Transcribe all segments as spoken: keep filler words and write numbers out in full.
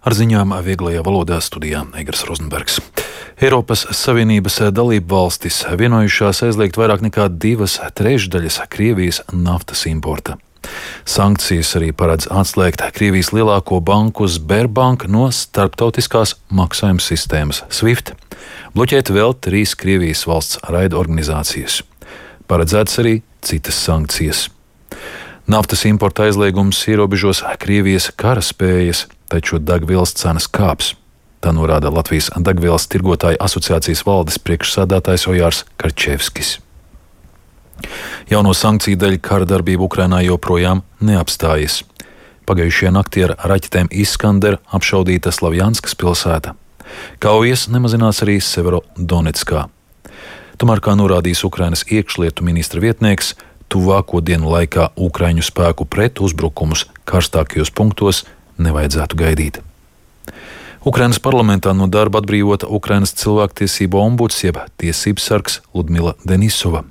Ar ziņām vieglajā valodā studijā Eigars Rozenbergs. Eiropas Savienības dalību valstis vienojušās aizliegt vairāk nekā divas trešdaļas Krievijas naftas importa. Sankcijas arī paredz atslēgt Krievijas lielāko banku Sberbank no starptautiskās maksājuma sistēmas SWIFT, bloķēt vēl trīs Krievijas valsts raida organizācijas. Paredzēts arī citas sankcijas. Naftas importa aizliegums ierobežos Krievijas karaspējas, taču degvielas cenas kāps. Tā norāda Latvijas degvielas tirgotāju asociācijas valdes priekšsēdētājs Ojārs Karčevskis. Jauno sankciju dēļ kara darbība Ukrainā joprojām neapstājas. Pagājušajā naktī ar raķetēm Iskander apšaudīta Slavjanskas pilsēta. Kaujas nemazinās arī Severodonetskā. Tomēr, kā norādījis Ukrainas iekšlietu ministra vietnieks, tuvāko dienu laikā Ukraiņu spēku pretuzbrukumus karstākajos punktos nevajadzētu gaidīt. Ukrainas parlamentā no darba atbrīvota Ukrainas cilvēktiesību ombuds jeb tiesības sargs Ludmila Denisova.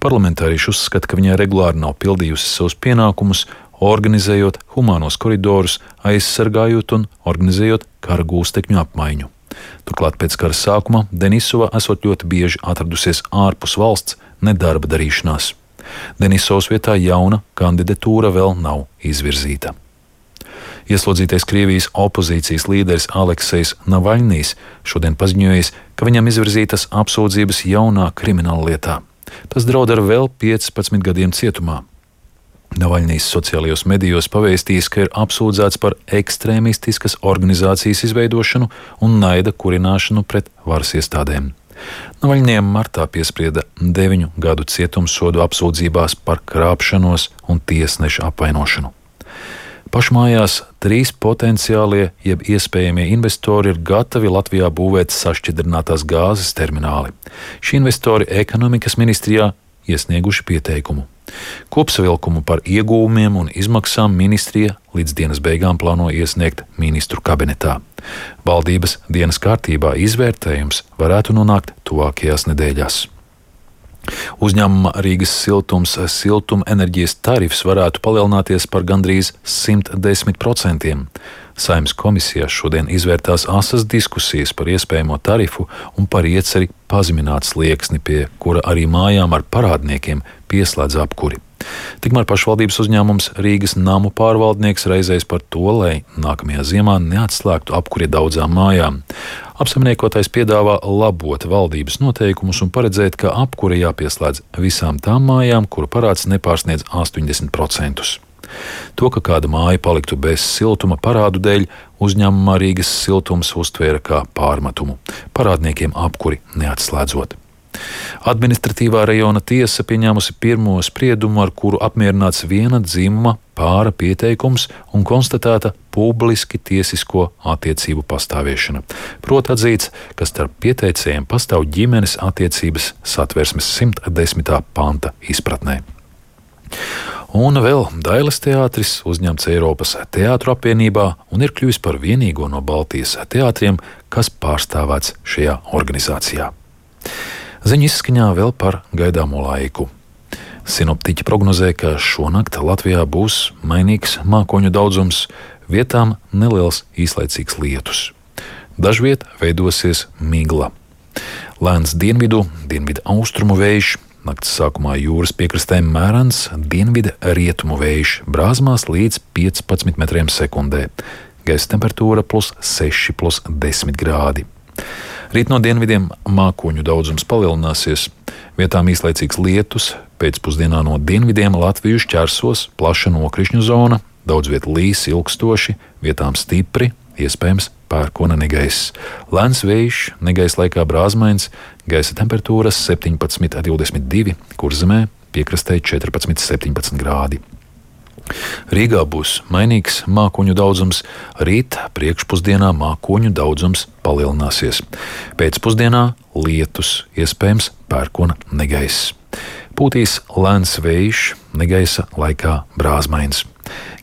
Parlamentārieši uzskata, ka viņai regulāri nav pildījusi savus pienākumus, organizējot humānos koridorus, aizsargājot un organizējot kara gūstekņu apmaiņu. Turklāt pēc kara sākuma Denisova esot ļoti bieži atradusies ārpus valsts nedarba darīšanās. Denisovas vietā jauna kandidatūra vēl nav izvirzīta. Ieslodzītais Krievijas opozīcijas līderis Aleksejs Navaļnijs šodien paziņojis, ka viņam izvirzītas apsūdzības jaunā krimināla lietā. Tas draud ar vēl piecpadsmit gadiem cietumā. Navaļnijs sociālajos medijos pavēstījis, ka ir apsūdzēts par ekstrēmistiskas organizācijas izveidošanu un naida kurināšanu pret varas iestādēm. Navaļnijam martā piesprieda deviņu gadu cietumsodu apsūdzībās par krāpšanos un tiesneša apvainošanu. Pašmājās trīs potenciālie jeb iespējamie investori ir gatavi Latvijā būvēt sašķidrinātās gāzes termināli. Šie investori ekonomikas ministrijā iesnieguši pieteikumu. Kopsavilkumu par ieguvumiem un izmaksām ministrija līdz dienas beigām plāno iesniegt ministru kabinetā. Valdības dienas kārtībā izvērtējums varētu nonākt tuvākajās nedēļās. Uzņēmuma Rīgas siltums siltumenerģijas tarifs varētu palielināties par gandrīz simt desmit procentiem. Saeimas komisijā šodien izvērtās asas diskusijas par iespējamo tarifu un par ieceri pazemināt slieksni, pie kura arī mājām ar parādniekiem pieslēdz apkuri. Tikmēr pašvaldības uzņēmums Rīgas namu pārvaldnieks raizējas par to, lai nākamajā ziemā neatslēgtu apkuri daudzām mājām. Apsaimniekotais piedāvā labot valdības noteikumus un paredzēt, ka apkuri jāpieslēdz visām tām mājām, kuru parāds nepārsniedz astoņdesmit procentus. To, ka kāda māja paliktu bez siltuma parādu dēļ, uzņēmumā Rīgas siltums uztvēra kā pārmetumu, parādniekiem apkuri neatslēdzot. Administratīvā rajona tiesa pieņēmusi pirmo spriedumu, ar kuru apmierināts viena dzimuma pāra pieteikums un konstatēta publiski tiesisko attiecību pastāviešana. Proti atzīts, ka starp pieteicējiem pastāv ģimenes attiecības Satversmes simt desmitā panta izpratnē. Un vēl Dailes teātris uzņemts Eiropas teātru apvienībā un ir kļuvis par vienīgo no Baltijas teātriem, kas pārstāvēts šajā organizācijā. Ziņu izskaņā vēl par gaidāmo laiku. Sinoptiķi prognozē, ka šonakt Latvijā būs mainīgs mākoņu daudzums, vietām neliels īslaicīgs lietus. Dažviet veidosies migla. Lēns dienvidu, dienvidu austrumu vējš, nakts sākumā jūras piekrastē mērens, dienvidu rietumu vējš, brāzmās līdz piecpadsmit metriem sekundē. Gaisa temperatūra plus seši, plus desmit grādi. Rīt no dienvidiem mākoņu daudzums palielināsies, vietām īslaicīgs lietus, pēcpusdienā no dienvidiem Latviju šķērsos plaša nokrišņu zona, daudz viet līs ilgstoši, vietām stipri, iespējams pērkona negaiss. Lēns vējš, negaiss laikā brāzmains, gaisa temperatūras septiņpadsmit, divdesmit divi, Kurzemē piekrastē četrpadsmit, septiņpadsmit grādi. Rīgā būs mainīgs mākoņu daudzums, rīt priekšpusdienā mākoņu daudzums palielināsies. Pēcpusdienā lietus, iespējams pērkona negaiss. Pūtīs lēns vējš, negaisa laikā brāzmains.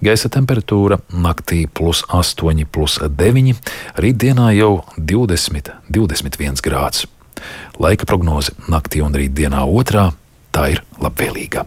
Gaisa temperatūra naktī plus astoņi, plus deviņi, rītdienā jau divdesmit, divdesmit viens grāds. Laika prognoze naktī un rītdienā otrā, tā ir labvēlīga.